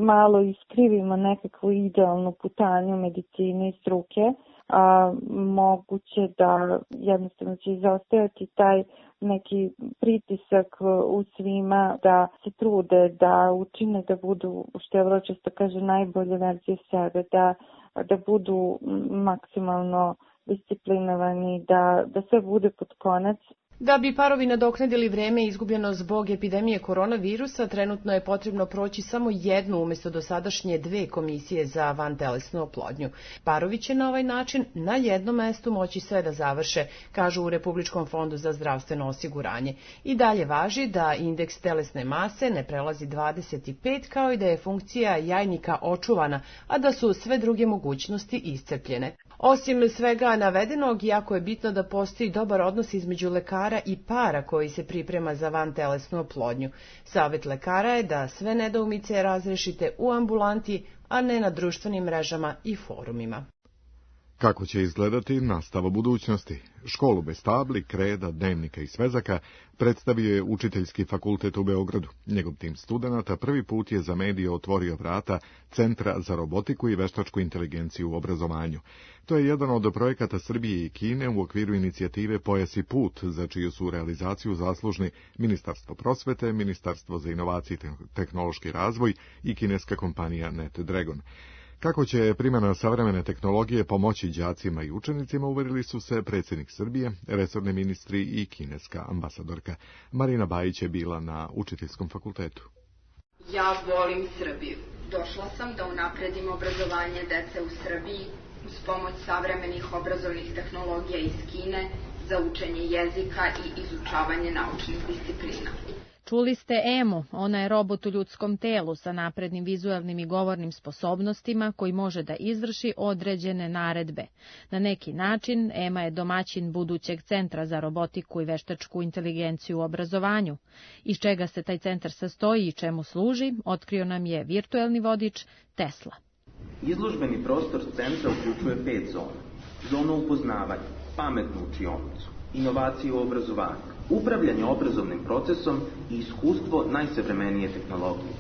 malo iskrivimo nekakvu idealnu putanju medicine i struke, a moguće da jednostavno će izostajati taj neki pritisak u svima da se trude, da učine da budu, što je vrlo često kaže, najbolje verzije sebe, da, da budu maksimalno disciplinovani, da, da sve bude pod konac. Da bi parovi nadoknadili vreme izgubljeno zbog epidemije koronavirusa, trenutno je potrebno proći samo jednu umjesto dosadašnje dve komisije za vantelesnu oplodnju. Parovi će na ovaj način na jednom mestu moći sve da završe, kažu u Republičkom fondu za zdravstveno osiguranje. I dalje važi da indeks telesne mase ne prelazi dvadeset pet, kao i da je funkcija jajnika očuvana, a da su sve druge mogućnosti iscrpljene. Osim svega navedenog, jako je bitno da postoji dobar odnos između lekara i para koji se priprema za vantelesnu oplodnju. Savjet lekara je da sve nedoumice razrešite u ambulanti, a ne na društvenim mrežama i forumima. Kako će izgledati nastava budućnosti? Školu bez tabli, kreda, dnevnika i svezaka predstavio je Učiteljski fakultet u Beogradu. Njegov tim studenata prvi put je za medije otvorio vrata Centra za robotiku i veštačku inteligenciju u obrazovanju. To je jedan od projekata Srbije i Kine u okviru inicijative Pojas i put, za čiju su realizaciju zaslužni Ministarstvo prosvete, Ministarstvo za inovacije i tehnološki razvoj i kineska kompanija NetDragon. Kako će primjena savremene tehnologije pomoći đacima i učenicima, uverili su se predsjednik Srbije, resorni ministri i kineska ambasadorka. Marina Bajić je bila na Učiteljskom fakultetu. Ja volim Srbiju. Došla sam da unapredim obrazovanje dece u Srbiji uz pomoć savremenih obrazovnih tehnologija iz Kine za učenje jezika i izučavanje naučnih disciplina. Čuli ste Emu, ona je robot u ljudskom telu sa naprednim vizualnim i govornim sposobnostima koji može da izvrši određene naredbe. Na neki način Ema je domaćin budućeg centra za robotiku i veštačku inteligenciju u obrazovanju. Iz čega se taj centar sastoji i čemu služi, otkrio nam je virtuelni vodič Tesla. Izložbeni prostor centra uključuje pet zona. Zonu upoznavanja, pametnu učionicu, inovacije u obrazovanju, upravljanje obrazovnim procesom i iskustvo najsavremenije tehnologije.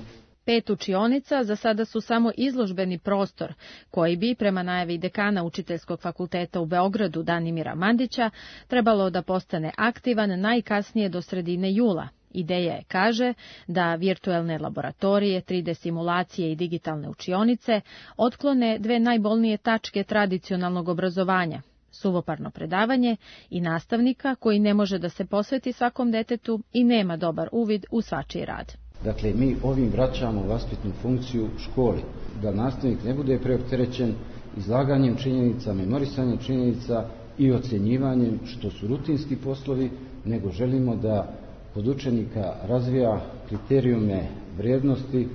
Pet učionica za sada su samo izložbeni prostor, koji bi, prema najavi dekana Učiteljskog fakulteta u Beogradu Danimira Mandića, trebalo da postane aktivan najkasnije do sredine jula. Ideja je, kaže, da virtuelne laboratorije, tri D simulacije i digitalne učionice otklone dve najbolnije tačke tradicionalnog obrazovanja, suvoparno predavanje i nastavnika koji ne može da se posveti svakom detetu i nema dobar uvid u svačiji rad. Dakle, mi ovim vraćamo vaspitnu funkciju školi, da nastavnik ne bude preopterećen izlaganjem činjenica, memorisanjem činjenica i ocjenjivanjem, što su rutinski poslovi, nego želimo da kod učenika razvija kriterijume vrijednosti,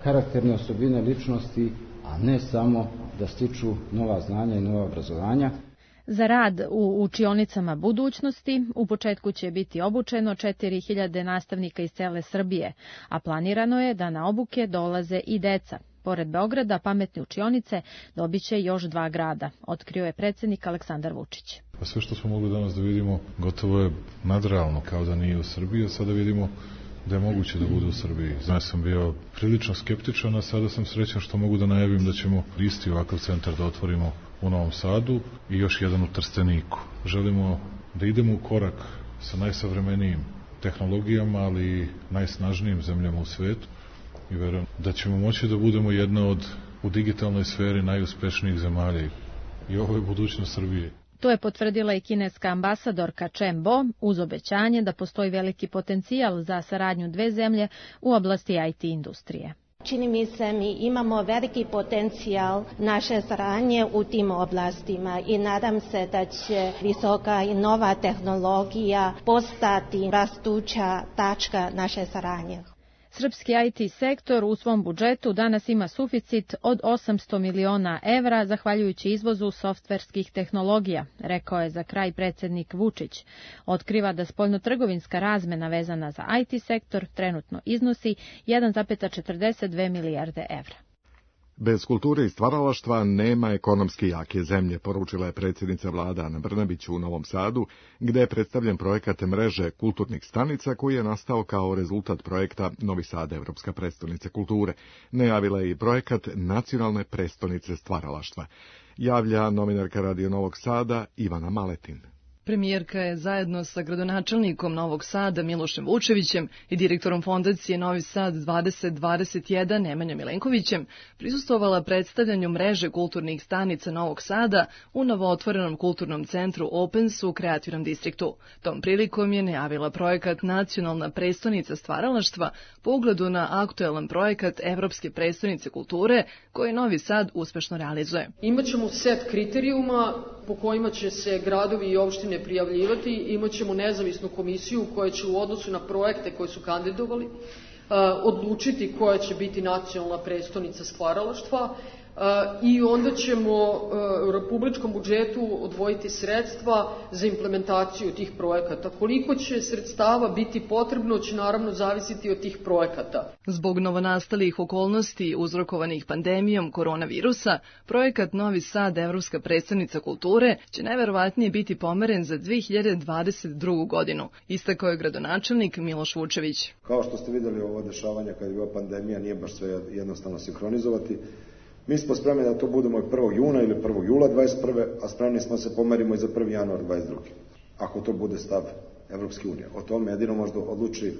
karakterne osobine ličnosti, a ne samo da stiču nova znanja i nova obrazovanja. Za rad u učionicama budućnosti u početku će biti obučeno četiri hiljade nastavnika iz cele Srbije, a planirano je da na obuke dolaze i deca. Pored Beograda, pametne učionice dobiće još dva grada, otkrio je predsjednik Aleksandar Vučić. Pa sve što smo mogli danas da vidimo gotovo je nadrealno, kao da nije u Srbiji, a sada vidimo da je moguće da bude u Srbiji. Ja sam bio prilično skeptičan, a sada sam srećan što mogu da najavim da ćemo isti ovakav centar da otvorimo u Novom Sadu i još jedan u Trsteniku. Želimo da idemo u korak sa najsavremenijim tehnologijama, ali i najsnažnijim zemljama u svetu i verujem da ćemo moći da budemo jedna od u digitalnoj sferi najuspešnijih zemalja i ovo je budućnost Srbije. To je potvrdila i kineska ambasadorka Chen Bo uz obećanje da postoji veliki potencijal za saradnju dve zemlje u oblasti I T industrije. Čini mi se mi imamo veliki potencijal naše saradnje u tim oblastima i nadam se da će visoka i nova tehnologija postati rastuća tačka naše saradnje. Srpski I T sektor u svom budžetu danas ima suficit od osamsto miliona evra zahvaljujući izvozu softverskih tehnologija, rekao je za kraj predsjednik Vučić. Otkriva da spoljnotrgovinska razmena vezana za I T sektor trenutno iznosi jedan zarez četrdeset dve milijarde evra. Bez kulture i stvaralaštva nema ekonomski jake zemlje, poručila je predsjednica vlade Ana Brnabić u Novom Sadu, gde je predstavljen projekat mreže kulturnih stanica koji je nastao kao rezultat projekta Novi Sad, Evropska prestonica kulture. Najavila je i projekat Nacionalne prestonice stvaralaštva. Javlja novinarka Radio Novog Sada Ivana Maletin. Premijerka je zajedno sa gradonačelnikom Novog Sada Milošem Vučevićem i direktorom fondacije Novi Sad dvadeset dvadeset jedan Nemanjom Milenkovićem prisustvovala predstavljanju mreže kulturnih stanica Novog Sada u novootvorenom kulturnom centru Opens u kreativnom distriktu. Tom prilikom je najavila projekat Nacionalna prestonica stvaralaštva po ugledu na aktuelan projekat Evropske prestonice kulture koji Novi Sad uspešno realizuje. Imaćemo set kriterijuma po kojima će se gradovi i opštine prijavljivati, imat ćemo nezavisnu komisiju koja će u odnosu na projekte koje su kandidovali odlučiti koja će biti nacionalna prestonica stvaralaštva i onda ćemo u republičkom budžetu odvojiti sredstva za implementaciju tih projekata. Koliko će sredstava biti potrebno će naravno zavisiti od tih projekata. Zbog novonastalih okolnosti uzrokovanih pandemijom koronavirusa, projekat Novi Sad, Evropska prestonica kulture, će najverovatnije biti pomeren za dve hiljade dvadeset drugu. godinu, istakao je gradonačelnik Miloš Vučević. Kao što ste videli, ovo dešavanja kad je bila pandemija nije baš sve jednostavno sinhronizovati. Mi smo spremni da to budemo i prvog juna ili prvog jula dvadeset prve. a spremni smo se pomerimo i za prvi januar dvadeset druge. Ako to bude stav Evropske unije. O tome jedino možda odluči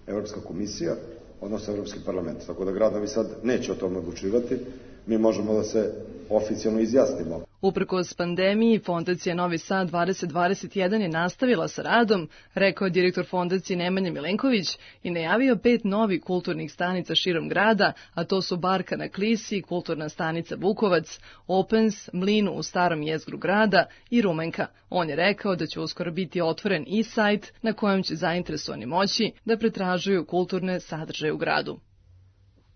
Evropska komisija, odnosno Evropski parlament. Tako da grad Novi Sad neće o tome odlučivati. Mi možemo da se oficijalno izjasnimo. Uprkos pandemiji, fondacija Novi Sad dvadeset dvadeset jedan je nastavila sa radom, rekao je direktor fondacije Nemanja Milenković i najavio pet novih kulturnih stanica širom grada, a to su Barka na Klisi, kulturna stanica Bukovac, Opens, Mlin u starom jezgru grada i Rumenka. On je rekao da će uskoro biti otvoren i sajt na kojem će zainteresovani moći da pretražuju kulturne sadržaje u gradu.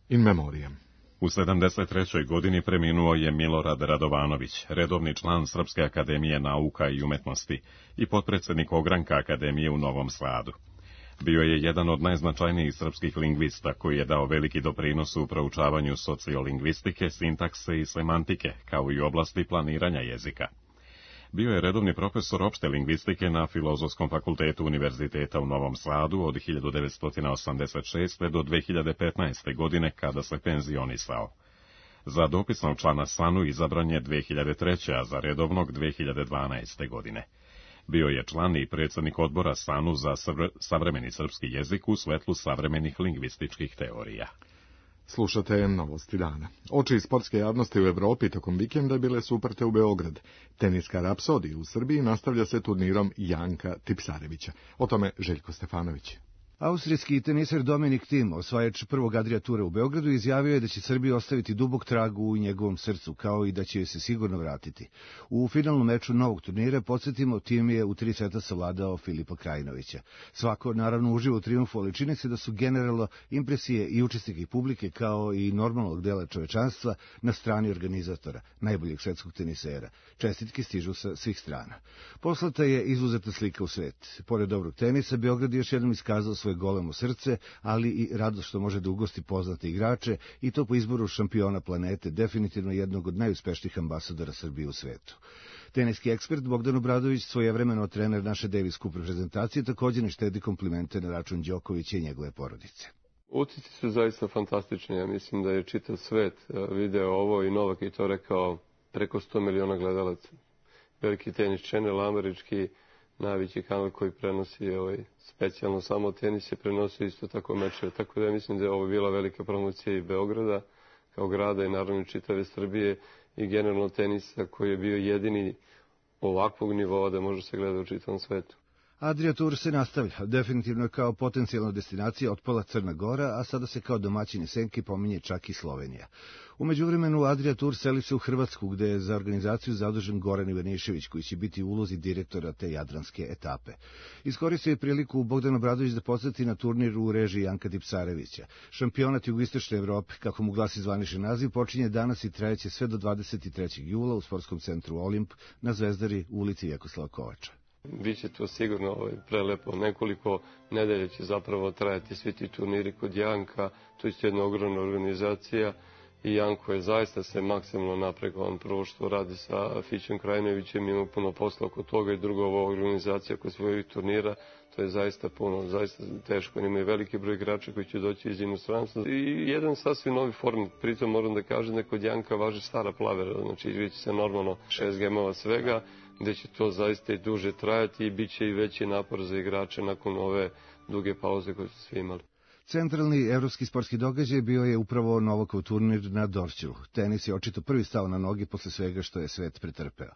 In memoriam. U sedamdeset trećoj godini preminuo je Milorad Radovanović, redovni član Srpske akademije nauka i umetnosti i potpredsjednik ogranka Akademije u Novom Sadu. Bio je jedan od najznačajnijih srpskih lingvista koji je dao veliki doprinos u proučavanju sociolingvistike, sintakse i semantike, kao i oblasti planiranja jezika. Bio je redovni profesor opšte lingvistike na Filozofskom fakultetu Univerziteta u Novom Sadu od hiljadu devetsto osamdeset šeste. do dve hiljade petnaeste. godine kada se penzionisao. Za dopisnog člana S A N U izabran je dve hiljade treće. a za redovnog dve hiljade dvanaeste. godine. Bio je član i predsjednik odbora S A N U za savremeni srpski jezik u svetlu savremenih lingvističkih teorija. Slušate Novosti dana. Oči sportske javnosti u Evropi tokom vikenda bile su uprte u Beograd. Teniska rapsodija u Srbiji nastavlja se turnirom Janka Tipsarevića. O tome Željko Stefanović. Austrijski teniser Dominik Thiem, osvajač prvog Adria tura u Beogradu, izjavio je da će Srbija ostaviti dubok trag u njegovom srcu, kao i da će joj se sigurno vratiti. U finalnom meču novog turnira, podsjetimo, Thiem je u tri seta savladao Filipa Krajinovića. Svako, naravno, uživo u triumfu, ali čini se da su generalno impresije i učesnika i publike, kao i normalnog dela čovečanstva, na strani organizatora, najboljeg svetskog tenisera. Čestitke stižu sa svih strana. Poslata je izuzeta slika u svet. Pored dobrog tenisa, Beograd je još jednom iskazao svoje golemo srce, ali i radost što može da ugosti poznate igrače, i to po izboru šampiona planete, definitivno jednog od najuspešnijih ambasadora Srbije u svetu. Teniski ekspert Bogdan Obradović, svojevremeno trener naše Davis Cup reprezentacije, također ne štedi komplimente na račun Đokovića i njegove porodice. Utisci su zaista fantastični. Ja mislim da je čitav svet video ovo i Novak je to rekao, preko sto miliona gledalaca. Veliki tenis channel, američki, najveći kanal koji prenosi ovaj, specijalno samo tenis je prenosio isto tako mečeve. Tako da ja mislim da je ovo bila velika promocija i Beograda kao grada i naravno čitave Srbije i generalno tenisa koji je bio jedini ovakvog nivoa da može se gleda u čitavom svetu. Adria Tour se nastavlja, definitivno kao potencijalna destinacija otpala Crna Gora, a sada se kao domaćini Senki pominje čak i Slovenija. U međuvremenu Adria Tour seli se u Hrvatsku, gde je za organizaciju zadužen Goran Ivanišević, koji će biti u ulozi direktora te jadranske etape. Iskoristio je priliku Bogdan Obradović da podsjeti na turnir u režiji Janka Tipsarevića. Šampionat jugoistočne Evrope, kako mu glasi zvanični naziv, počinje danas i trajeće sve do dvadeset trećeg jula u sportskom centru Olimp na Zvezdari u ulici Vjekoslava Kovača. Biće to sigurno ovaj, prelepo. Nekoliko nedelja će zapravo trajati svi ti turniri kod Janka. To je jedna ogromna organizacija i Janko je zaista se maksimalno napregao. On prvo što radi sa Fićem Krajinovićem, ima puno posla oko toga i drugo ova organizacija kod svojih turnira. To je zaista puno, zaista teško. Ima i veliki broj igrača koji će doći iz inostranstva. I jedan sasvim novi format. Pritom moram da kažem da kod Janka važi stara plavera. Znači vidjet se normalno šest gemova svega, gde će to zaista i duže trajati i bit će i veći napor za igrače nakon ove duge pauze koje su svi imali. Centralni evropski sportski događaj bio je upravo Novakov turnir na Dorćolu. Tenis je očito prvi stao na noge posle svega što je svet pretrpeo.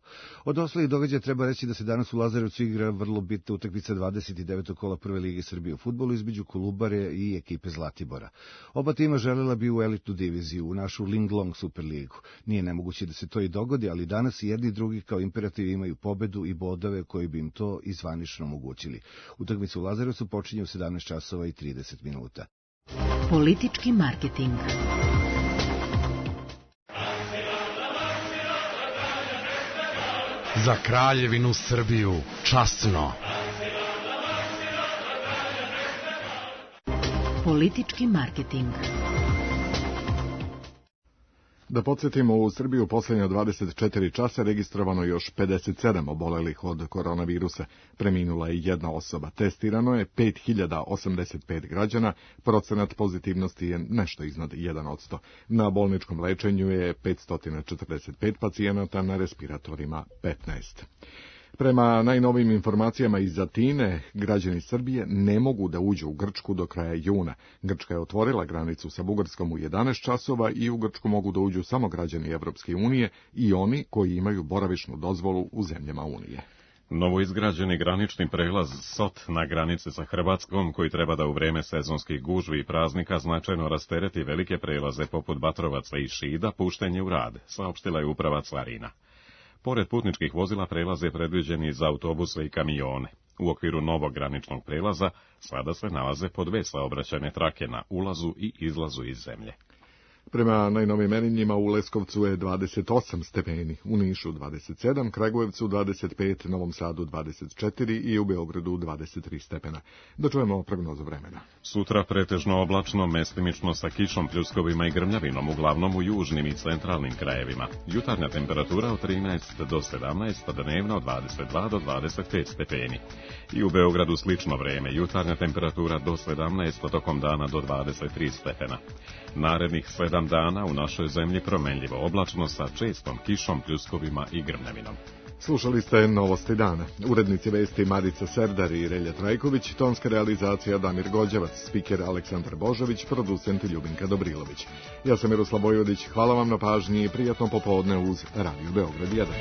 Od ostalih događaja treba reći da se danas u Lazarevcu igra vrlo bitna utakmica dvadeset devetog kola Prve lige Srbije u fudbalu između Kolubare i ekipe Zlatibora. Oba tima želela bi u elitnu diviziju, u našu Linglong Superligu. Nije nemoguće da se to i dogodi, ali danas i jedni i drugi kao imperativ imaju pobedu i bodove koji bi im to i zvanično omogućili. Utakmica u Lazarevcu počinje u sedamnaest časova i trideset minuta. Politički marketing. Za Kraljevinu Srbiju časno. Politički marketing. Da podsjetimo, u Srbiji u posljednja dvadeset četiri časa registrovano još pedeset sedam obolelih od koronavirusa. Preminula je jedna osoba. Testirano je pet hiljada osamdeset pet građana. Procenat pozitivnosti je nešto iznad jedan posto. Na bolničkom lečenju je petsto četrdeset pet pacijenata, na respiratorima petnaest. Prema najnovijim informacijama iz Atine, građani Srbije ne mogu da uđu u Grčku do kraja juna. Grčka je otvorila granicu sa Bugarskom u jedanaest časova i u Grčku mogu da uđu samo građani Evropske unije i oni koji imaju boravišnu dozvolu u zemljama Unije. Novoizgrađeni granični prelaz Sot na granici sa Hrvatskom, koji treba da u vreme sezonskih gužvi i praznika značajno rastereti velike prelaze poput Batrovaca i Šida, pušten je u rad, saopštila je uprava carina. Pored putničkih vozila, prelaz je predviđen i za autobuse i kamione. U okviru novog graničnog prelaza sada se nalaze po dve saobraćajne trake na ulazu i izlazu iz zemlje. Prema najnovim merenjima u Leskovcu je dvadeset osam stepeni, u Nišu dvadeset sedam, Kragujevcu dvadeset pet, Novom Sadu dvadeset četiri i u Beogradu dvadeset tri stepena. Da čujemo prognozu vremena. Sutra pretežno oblačno, mestimično sa kišom, pljuskovima i grmljavinom, uglavnom u južnim i centralnim krajevima. Jutarnja temperatura od trinaest do sedamnaest, dnevno od dvadeset dva do dvadeset pet stepeni. I u Beogradu slično vreme, jutarnja temperatura do sedamnaest, tokom dana do dvadeset tri stepena. Narednih sedam dana u našoj zemlji promenljivo oblačno sa čestom kišom, pljuskovima i grmljavinom. Slušali ste Novosti dana. Urednici vesti Marica Serdar i Relja Trajković, tonska realizacija Damir Gođevac, spiker Aleksandar Božović, producent Ljubinka Dobrilović. Ja sam Miroslav Bojodić, hvala vam na pažnji i prijatno popodne uz Radio Beograd jedan.